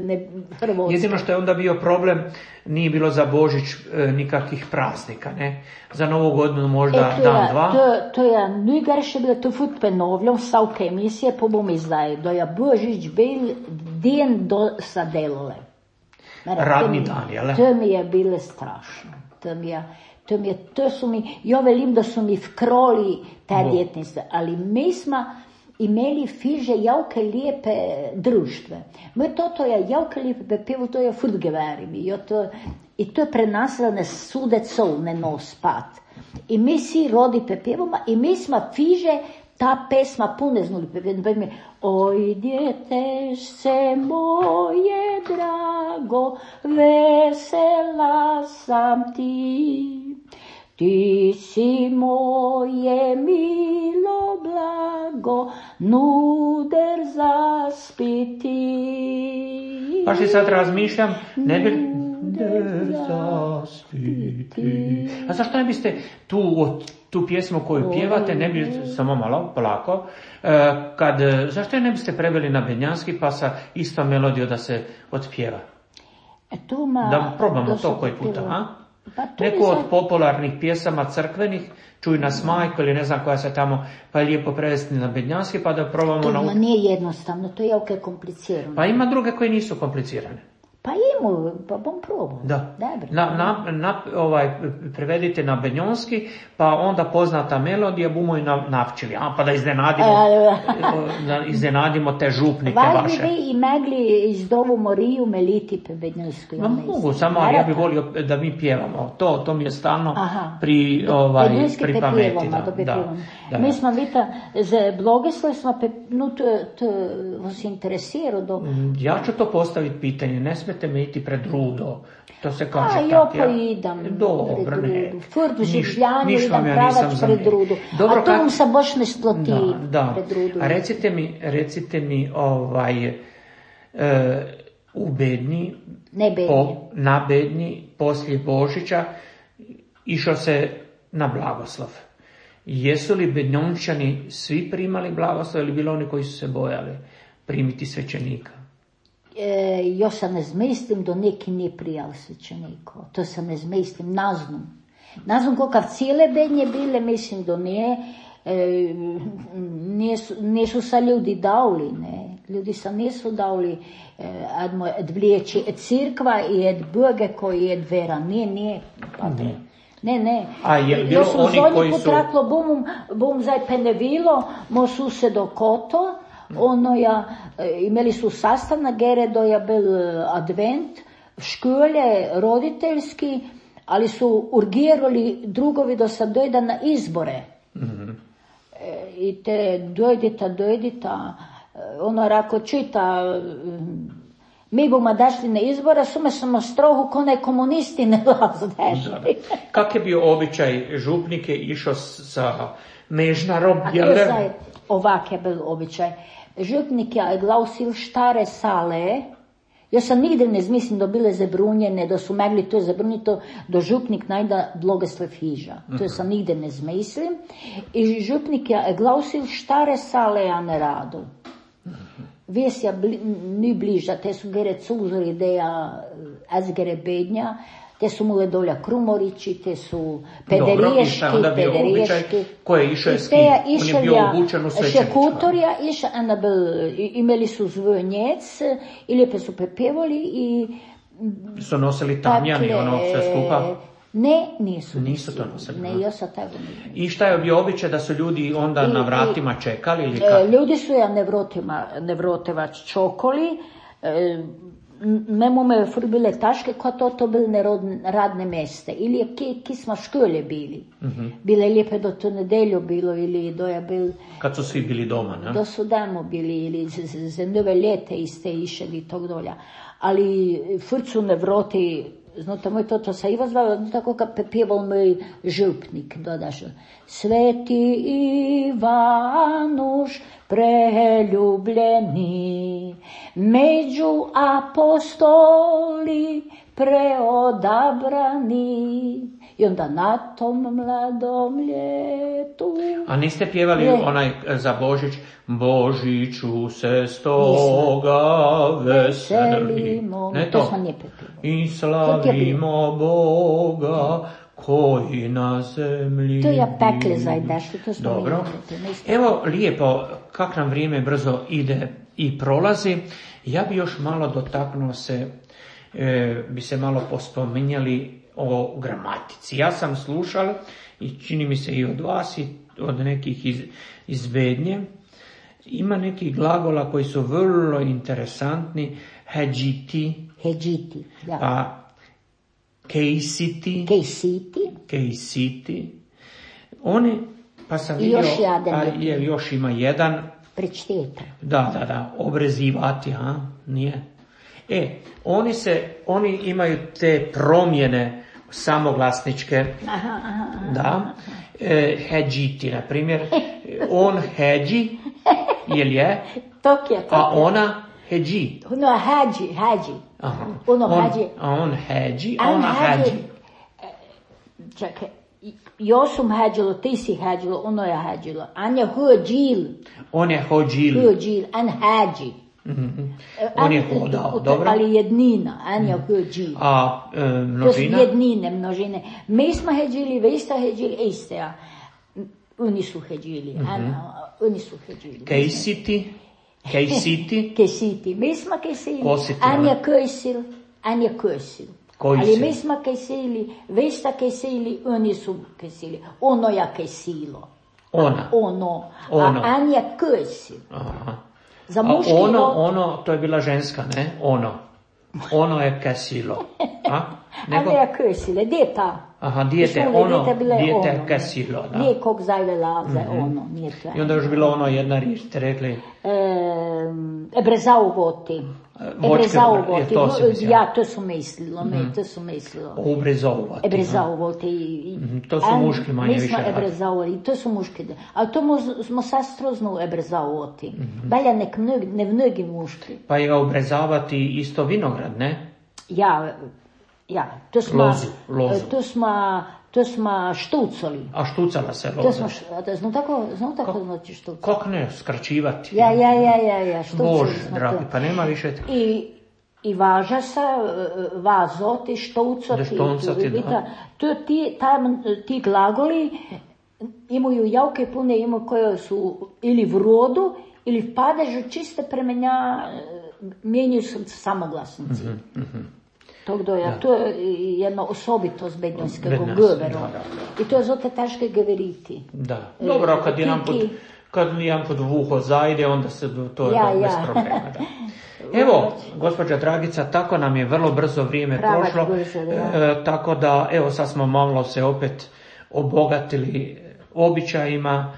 ne Hrvatska. Jedino što je onda bio problem, nije bilo za Božić e, nikakvih praznika, ne? Za Novu godinu možda e, dan, je, dva. To, to je najgorše bilo, to fut penovljam, vsake emisije, pa bom izdaj, da je Božić bil den do sadelole. Radni dan, jel? To mi je bilo strašno. To mi je... To, mi je, to su mi, ja velim da su mi vkroli te djetnice, ali mi smo imeli fiže javke lijepe društve. Moje toto je javke lijepe pevo, to je futgeveri mi. To, I to je prenasilo ne sudecov, ne nos pat. I mi si rodi pepevoma i mi smo fiže ta pesma pune znuli pepevoma. Oj, djetešce moje drago, vesela sam ti. Ti si moje milo blago, nuder zaspiti. Pa si sad razmišljam, ne bi... Nuder zaspiti. A zašto ne biste tu, tu pjesmu koju pjevate, ne bi, samo malo, polako, kad, zašto je ne biste preveli na benjanski pa sa istom melodijom da se otpjeva? E tu ma... Da probamo to koji puta, a? Pa to Neku je od za- popularnih pjesama crkvenih, Čuj nas majko ili ne znam koja se tamo, pa je lijepo prevesti na bednjanski, pa da probamo To naučiti. nije jednostavno, to je jako komplicirano. Pa ima druge koje nisu komplicirane. Pa ima, pa bom probao. Da. Dobro. Na, na, na, ovaj, prevedite na bednjonski, pa onda poznata melodija bumo i na, navčili. A, pa da iznenadimo, da iznenadimo te župnike Vas vaše. bi vi i mogli iz Dovu Moriju meliti pe bednjskoj. Ma mogu, samo ja bih volio da mi pjevamo. To, to mi je stalno Aha. pri, ovaj, Bednjski pri pe pameti. pjevamo, Da, da pe da, pjevamo. da. Mi smo vita, za blogeslov smo pe, no to, to vas interesira do... Ja ću to postaviti pitanje, ne smete me iti pred rudo. To se kaže A, tak, jo pa ja. idam Dobro, pred ne. rudu. Furt v Niš- življanju ništa idam vam ja pravac nisam pred zamjerio. rudu. Dobro, A to kad- vam se baš ne sploti Da, da. pred rudu. A recite mi, recite mi, ovaj, e, u Bednji, Ne Bednji. po, na Bednji, poslije Božića, išao se na blagoslov. Jesu li Bednjončani svi primali blagoslov ili bilo oni koji su se bojali primiti svećenika? E, jo se ne zmislim, do neki ni prijal svećeniko. To se ne zmislim, naznam. Naznam kakav cijele Bednje bile, mislim do nije, e, nisu, nisu sa ljudi davli, ne. Ljudi sa nisu davli e, admo, ed vliječi ed cirkva i ed Boge koji ed vera. Nije, nije, patre. Ne, ne. A je bilo Jo sam oni zadnji koji put su- rekla, bom, bom zdaj penevilo, mo susedo koto, ono ja, e, imeli su sastav na Geredo, je bil e, advent, škole roditeljski, ali su urgirali drugovi da se dojde na izbore. E, I te dojdita, dojdita, e, ono rako čita, e, mi bomo dašli na izbore, sume samo strohu, ko ne komunisti ne vas dešli. Kak je bio običaj, župnik je išao s- sa mežnarom, A jel to ne? zdaj, ovak je bil običaj. Župnik je glasil štare sale, jaz sam nigde ne zmislim da bile zabrunjene, da su mogli to zabruniti, da župnik najda blagoslov hiža. To sam nigde ne zmislim. I župnik je glasil štare sale, a ne radu. Vesja bli, ni bliža, te su gere cuzori ideja ezgere Bednja, te su mule dolja Krumorići, te su Dobro, i šta je pederiješki, onda bio običaj? pederiješki. Ko je išao je I s te kim? je On je išel bio ja, obučen u svećeničko. šekutorja, išel, ena bil, i- imeli su zvonjec, i lijepe su pepevali i Su nosili tamjani, takle, ono sve skupa. Ne, nisu. Nisu to nosili, Ne, aha. ja sam tako ne. I šta je bio običaj da su ljudi onda I- na i- vratima čekali ili E, kako? Ljudi su ja nevrotima, nevrotevač čokoli, e, memo me fur bile taške, ko to to bile nerodne, radne meste. Ili je ki, ki smo škole bili. Bile lijepe do to nedeljo bilo, ili do je bil, Kad su svi bili doma, ne? do su damo bili, ili z- z- za nove ljete iste išeli i tog dolja. Ali fur su nevroti, znate moj to, to se i vas zvao, tako kad pjeval moj župnik, dodaš. Sveti Ivanuš preljubljeni, među apostoli preodabrani. I onda na tom mladom ljetu. A niste pjevali Ne. onaj e, za Božić, Božiću se stoga veselimo. Veselimo. Ne To to? smo nije pjevali. I slavimo Boga koji na zemlji To ja pekle biva. zajdašli, to smo Dobro. mi pjevali, nismo. Evo, lijepo, kak nam vrijeme brzo ide i prolazi. Ja bi još malo dotaknuo se, e, bi se malo pospominjali o gramatici. Ja sam slušal i čini mi se i od vas i od nekih iz, iz Bednje. Ima nekih glagola koji su vrlo interesantni. Heđiti, Heđiti, da. pa kejsiti, Kejsiti, kejsiti. Oni, pa sam I vidio, još jedan pa je. je, još ima jedan, prečteta. da, da, da, obrezivati, a, nije. E, oni se, oni imaju te promjene samoglasničke, Aha, aha, aha. da, e, heđiti, na primjer, on heđi, jel je, Tok je, tok a je. ona heđi. Ono hađi, hađi. Aha. Ono on, hađi. a on heđi, a A ona hađi. heđi. Čekaj, jo sam hađilo, ti si hađilo, ono je hađilo. Anja hođil, On je hođil. hođil, an hađi. Mm-hmm. On je hodao, dobro. Ali jednina, Anja Gđi. A e, množina? To su jednine, množine. Mi smo heđili, vi ste heđili, iste, a oni su heđili. Mm-hmm. Oni su heđili. Kejsiti? Kejsiti? Kejsiti. Mi smo kejsili. Kositi, Anja Kejsil, Anja Kejsil. Koji ali si? mi smo kejsili, vi ste kejsili, oni su kejsili. Ono ja kejsilo. Ona? Ono. Ono. A Anja Kejsil. Aha. Za A muški ono, rod... ono, to je bila ženska, ne? Ono. Ono je kesilo. A? Nego... Anja Kejsile, gdje je ta? Aha, dijete, Šule, ono, bile dijete ono. kesilo, da. Nije kog zajve laze, mm-hmm. ono, nije to. I onda još bilo ono jedna riječ, ste rekli? E, Ebrezaugovati. Ebrezaugovati. Ja, to su mislilo, mm-hmm. to su mislilo. Ubrezauvati. Ebrezaugovati. Mm-hmm. To su muški manje više. Mi smo ebrezauvati, to su muški. Ali to smo sad strozno ebrezauvati. Mm-hmm. Balja nek mnogi, ne mnogi muški. Pa je obrezavati isto vinograd, ne? Ja, ja, to smo, lozu, lozu. To smo, to smo štucali. A štucala se loza? To smo, znam tako, znam tako Ko, znači štucali. Kak ne, skraćivati? Ja, ja, ja, ja, ja, štucali Bože, smo dragi, to. pa nema više... I, i važa se, vazoti, štucati, štucati, da. To ti, tam, ti glagoli imaju javke pune, imaju koje su ili v rodu, ili v padežu čiste premenja, mijenjaju se samoglasnici. Mm-hmm, mm-hmm. Тогда ja, to je jedna osobitost bednjskog govora. I to je zato teško govoriti. Da. Dobro, kad jedan put, kad jedan put v uho zajde, onda se to je ja, bez ja. problema. Da. Evo, gospođa Dragica, tako nam je vrlo brzo vrijeme Pravač prošlo, brzo, e, tako da, evo, sad smo malo se opet obogatili običajima,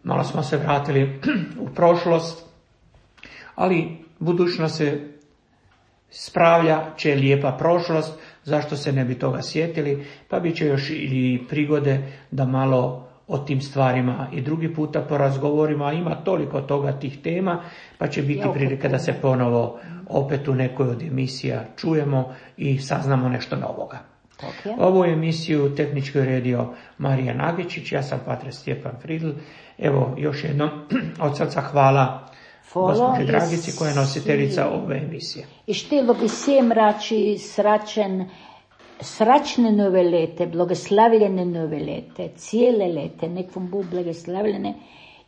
malo smo se vratili u prošlost, ali budućnost se spravlja će lijepa prošlost, zašto se ne bi toga sjetili, pa bit će još i prigode da malo o tim stvarima i drugi puta porazgovorimo, a ima toliko toga tih tema, pa će biti prilika da se ponovo opet u nekoj od emisija čujemo i saznamo nešto novoga. Okay. Ovu emisiju tehnički uredio Marijan Agečić, ja sam pater Stjepan Fridl. Evo još jednom od srca hvala gospođi Dragici koja je nositeljica ove emisije. I štilo bi svim rači sračen, sračne nove lete, blagoslavljene nove lete, cijele lete, nek vam bu blagoslavljene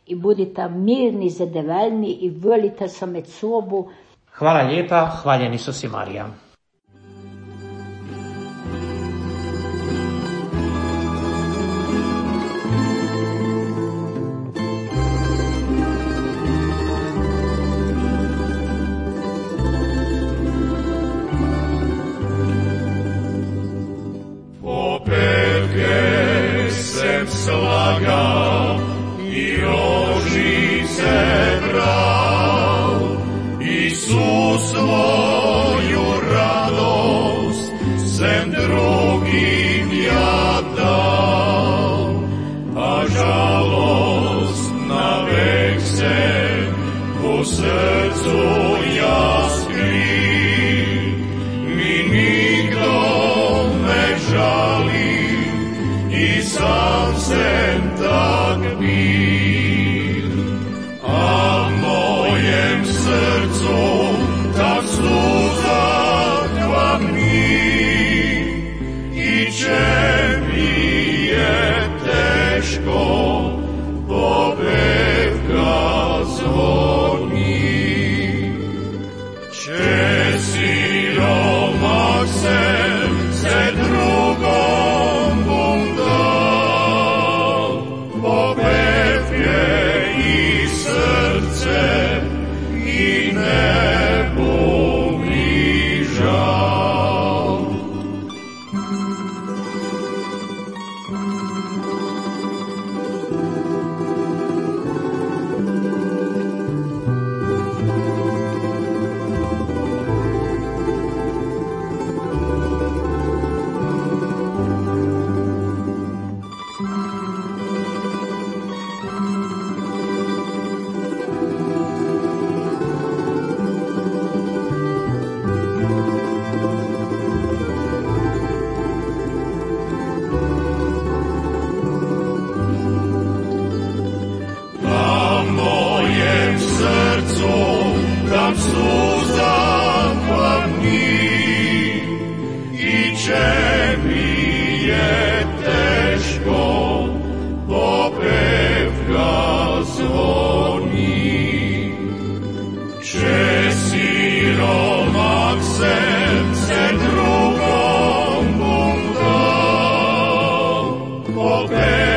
i budite mirni, zadovoljni i volite se med sobu. Hvala lijepa, hvaljen Isus i Marija. Slagao i rožice bral, Isus svoju radost sem drugim ja dal, a žalost na vek se u srcu ja skri, mi nikdo ne žali i sam sem tak bil, a v mojem srcu tak suza kvapni, i če mi je teško, pobedka zvoni. Če siromak sem se drugom bom dal, pobed je i srce i ne bo mi žal. opet